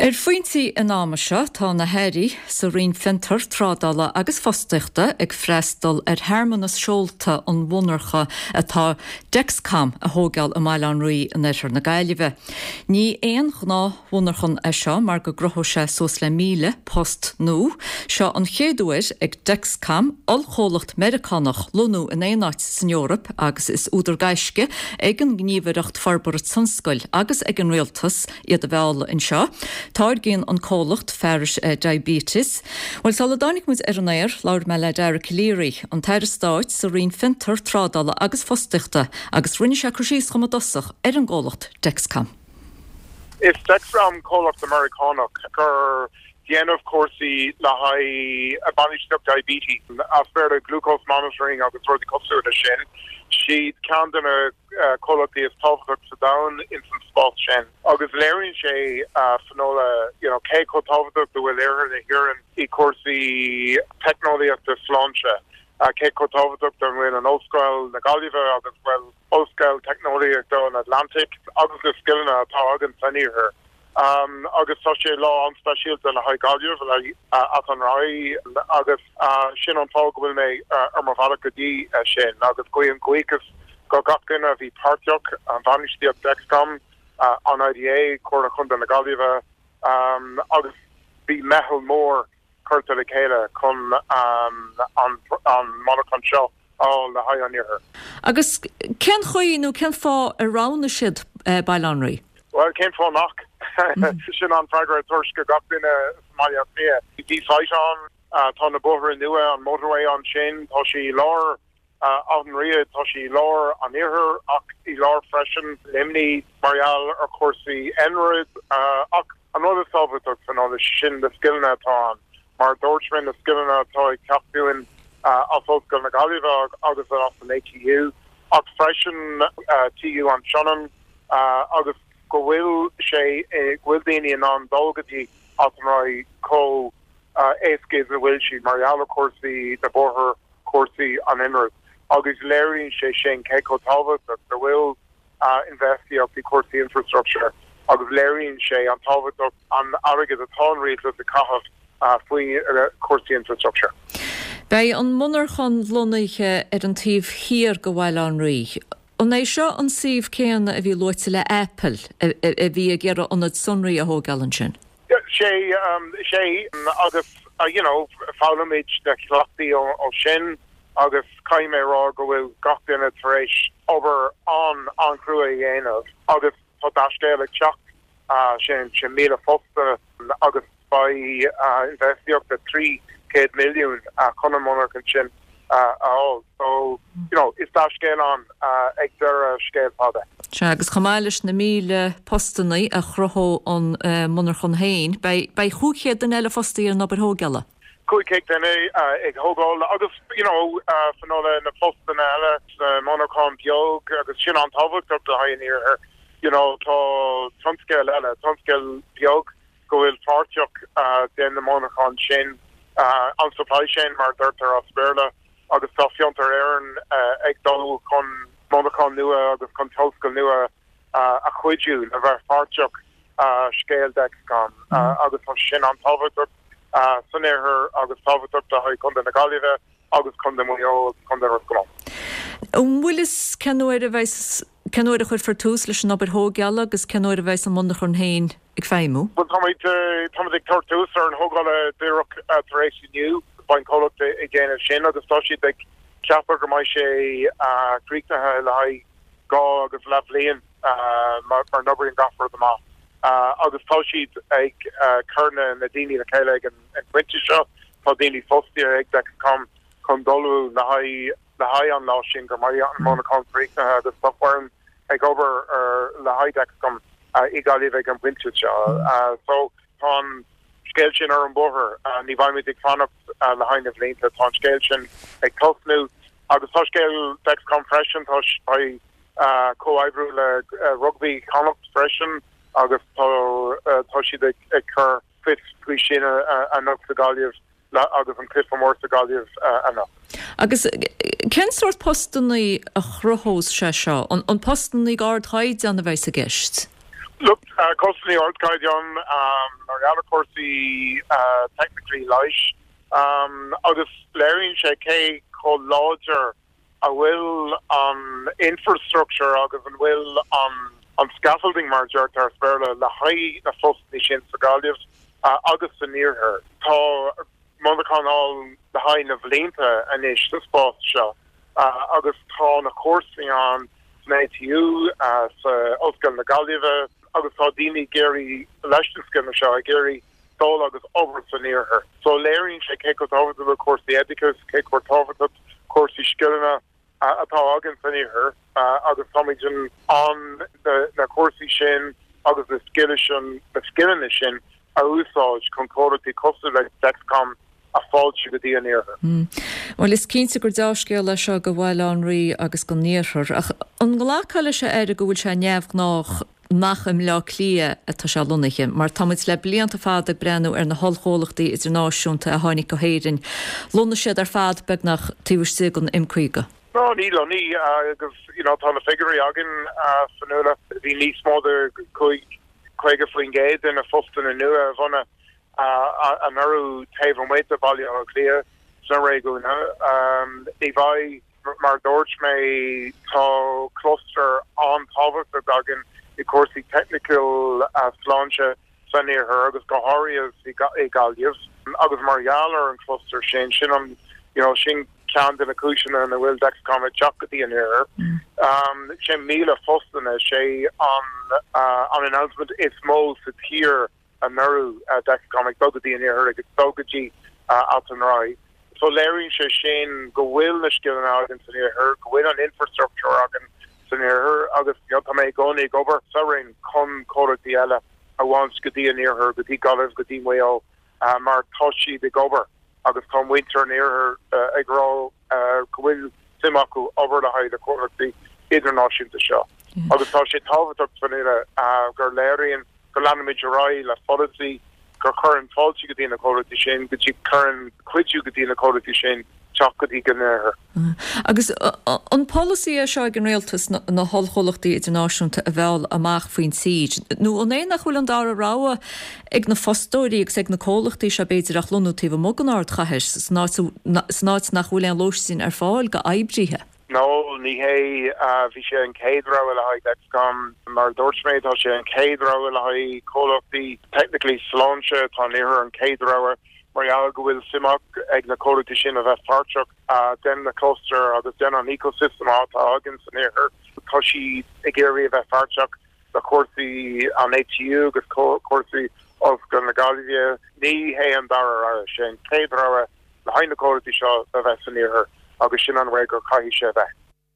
Ar phointí an ama seo, tá na hAirí sa Roinn Fiontar, Trádála agus Fostaíochta ag freastal ar shearmanas seolta an mhonarcha atá Dexcom a thóigeáil i mBaile Átha an Rí in oirthear na Gaillimhe. Ní aon ghnáthmhonarchan é seo mar go gcruthóidh sé suas le 1,000 post nua. Seo an chéad uair ag Dexcom, ollchomhlacht Meiriceánach, lonnú in aon áit san Eoraip agus is údar gaisce ag an nGníomhaireacht Forbartha Tionscail agus ag an Rialtas iad a mhealladh anseo. Táirgíonn an comhlacht fearais diabetes. Bhuel, sula dtáinig muid ar an aer, labhair mé le Dara Calleary, an tAire Stáit sa Roinn Fiontar, Trádála agus Fostaíochta, agus rinne sé cur síos dhom i dtosach ar an gcomhlacht Dexcom. Is Dexcom comhlacht Meiriceánach gur déanamh cúrsaí le haghaidh bainistíocht diabetes, as Béarla glucose monitoring agus rudaí cosúil leis sin. Siad ceann de na comhlachtaí is tábhachtach sa domhan ins an spás sin agus léiríonn sé a Finola you know cé chomh tábhachtach go bhfuil iarthar na hÉireann i cúrsaí teicneolaíochta sláinte, cé chomh tábhachtach go bhfuil an Ollscoil na Gaillimhe agus bhfuil Ollscoil Teicneolaíochta an Atlantaigh agus na scileanna atá againn san iarthar. Agus tá sé lá an-speisialta le haghaidh Gaillimh, le haghaidh Áth an Rí agus sin an fáth go bhfuil mé ar mo bhealach go dtí sin agus guím buíochas go gach duine a bhí páirteach, an bhainistíocht Dexcom, an IDA, Comhairle Chontae na Gaillimhe agus bhí meitheal mór curtha le chéile chun an monarchan seo a fháil le haghaidh an iarthair. Agus cén chaoi nó cén fáth ar roghnaigh siad Baile Átha an Rí? Bhuel, cén fáth nach? Sin an freagra a tabhairt go gach duine sa mBaile Átha Cliath. Bhí site ann, tá na bóithre nua, an motorway ansin, tá sé i lár Áth an Rí, tá sé i lár an iarthair ach i lár freisin Luimnigh mar gheall ar chúrsaí NRIB. Ach an rud is tábhachtach Finola, sin na scileanna atá ann. Mar a dúirt mé, na scileanna atá ag teacht dúinn as Ollscoil na Gaillimhe agus as an ATU, ach freisin TU an tSionainn, agus go bhfuil sé, go bhfuil daoine in ann dul go dtí Áth an Rí chomh éasca is a bhfuil siad, mar gheall ar chúrsaí na bóithre, cúrsaí an iarnróid. Agus léiríonn sé sin cé chomh tábhachtach go bhfuil infheistíocht i cúrsaí infrastructure agus léiríonn sé an tábhachtach an airgead atá an rialtas ag caitheamh faoi chúrsaí infrastructure. Beidh an monarchan lonnaithe ar an taobh thiar de Bhaile Átha an Rí. An é seo an suíomh céanna a bhí luaite le Apple, a bhí ag iarraidh ionad sonraí a thóigeáil ansin? Sé, sé, agus you know foghlaimid na cleachtaí ó sin agus caithfidh mé a rá go bhfuil gach duine tar éis obair an-an-chrua a dhéanamh agus tá dea-scéal ag teacht, sin 1,000 post agus beidh infheistíocht de 300 milliún chun an monarchan sin a fháil. So, you know, is dea-scéal ann ag deireadh scéal fada. Sea, agus chomh maith leis na 1,000 postannaí a chruthóidh an monarchan féin, beidh 500 duine eile fostaithe ar an obair thóigeála. 500 duine ag thógáil agus, you know, Finola, na postanna eile sna monarcháin beag agus sin an-tábhachtach le haghaidh an iarthair. You know, tá tionscail eile, tionscail beag go bhfuil páirteach den na monarcháin sin, an supply chain mar a deirtear as Béarla, agus tá Fiontar Éireann ag dul chun monarcháin nua agus chun tionscail nua a chuidiú le bheith páirteach scéal Dexcom agus tá sin an-tábhachtach san iarthar agus tábhachtach le haghaidh Contae na Gaillimhe agus Contae Mhaigh Eo agus Contae Ros Comáin. An bhfuil fhios cén uair a bheidh, cén uair a chuirfear tús leis an obair thóigeála agus cén uair a bheidh an monarchan féin ag feidhmiú? Bhuel, táimid, táimid ag tabhairt tús ar an thógáil díreach tar éis inniu. Beidh an comhlacht ag déanamh sin agus tá siad ag ceapadh go mbeidh sé críochnaithe le haghaidh dhá agus leath bhliain mar n-oibríonn gach rud amach. Agus tá siad ag cur na daoine le chéile ag an bpointe seo. Tá daoine fostaithe ag Dexcom chun ullmhú le haghaidh le haghaidh an lá sin go mbeidh an monarchan críochnaithe agus tá foireann ag obair ar le haghaidh Dexcom i Gaillimh ag an bpointe seo. So tá an scéal sin ar an bóthar. Ní bheimid ag fanacht le haghaidh na bhlianta. Tá an scéal sin ag tosnú agus tá scéal Dexcom freisin. Tá beidh comhoibriú le Rugbaí Chonnacht freisin agus tá tá siad ag cur fios faoi sin anocht sa Ghaillimh. agus an cluiche mór sa Ghaillimh anocht. Agus cén sórt postannaí a chruthós sé seo? An postannaí ardchaighdeán a bheas i gceist? Look, costanna ardchaighdeán mar gheall ar chúrsaí teicnically leighis agus léiríonn sé cé chomh láidir a bhfuil an infrastructure agus an bhfuil an scaffolding mar a deirtear as Béarla le haghaidh na phostanna sin sa Ghaillimh agus san iarthar. Tá monarchan ann le haghaidh na bhlianta anois sa spás seo agus tá na cúrsaí ann san ATU, sa Ollscoil na Gaillimhe agus tá daoine ag iarraidh leis na scileanna seo ag iarraidh dul agus obair san iarthar. So léiríonn sé cé chomh tábhachtach le cúrsaí oideachais, cé chomh tábhachtach cúrsaí scileanna atá againn san iarthar agus táimid in ann na cúrsaí sin agus na scileanna sin a úsáid chun comhlachtaí cosúil le Dexcom a fháiltiú go dtí an iarthar. Bhuel, is cinnte gur deá-scéal é seo do Bhaile Átha an Rí agus don iarthar. Ach an nglacfá leis, a Aire, go bhfuil sé neamhghnách nach i mBleá Cliath atá sé lonnaithe, mar tá muid le blianta fada ag breathnú ar na hollchomhlachtaí idirnáisiúnta a tháinig go hÉirinn. Lonnaigh siad ar fad beagnach taobh istigh den M50. No, ní lonnaigh agus you know tá na figiúirí againn, a Fionnuala. Bhí níos mó de 50% de na postanna nua a bhunaigh anuraidh taobh amuigh de Bhaile Átha Cliath sna réigiúin. Ní bheidh, mar a dúirt mé, tá cluster an-tábhachtach againn i cúrsaí teicniúil sláinte san iarthar agus go háirithe i Gaillimh agus mar gheall ar an cluster sin, sin an, you know, sin ceann de na cúiseanna ina bhfuil Dexcom ag teacht go dtí an iarthar. 6,000 postanna, sé an an announcement is mó sa tír anuraidh, Dexcom ag dul go dtí an iarthar, ag dul go dtí Ailt an Ráthaigh. So léiríonn sé sin go bhfuil na scileanna againn san iarthar, go bhfuil an infrastructure againn san iarthar agus you know, tá mé i gcónaí ag obair sa Roinn chun comhlachtaí eile a bhaint go dtí an iarthar, go dtí Gaillimh, go dtí Maigh Eo mar tá siad ag obair agus tá muintir an iarthair ag rá go bhfuil suim acu obair le haghaidh na comhlachtaí idirnáisiúnta seo. Agus tá sé tábhachtach Fionnuala gur léiríonn go leanfaimid ar aghaidh le polasaí gur chuireann fáilte go dtí na comhlachtaí sin, go dtí cuireann cuidiú go dtí na comhlachtaí sin teacht go dtí an iarthar. Agus an polasaí é seo ag an rialtas na hollchomhlachtaí idirnáisiúnta a mheall amach faoin tír, nó an é nach bhfuil an dara rogha ag na fostóirí agus ag na comhlachtaí seo b'fhéidir ach lonnú taobh amuigh den ardchathair, san áit nach bhfuil aon lóistín ar fáil go oibrithe? No, ní hé. Bhí sé an chéad rogha le haghaidh Dexcom. Mar a dúirt mé, tá sé an chéad rogha le haghaidh comhlachtaí technically sláinte. Tá an iarthar an chéad rogha mar gheall go bhfuil suim ag na comhlachtaí sin a bheith páirteach den na cluster agus den an ecosystem atá againn san iarthar. Tá siad ag iarraidh a bheith páirteach le cúrsaí an ATU agus cúrsaí Ollscoil na Gaillimhe. Ní hé an dara rogha, sé an chéad rogha le haghaidh na comhlachtaí seo a bheith san iarthar agus sin an way gur caithfidh sé a bheith.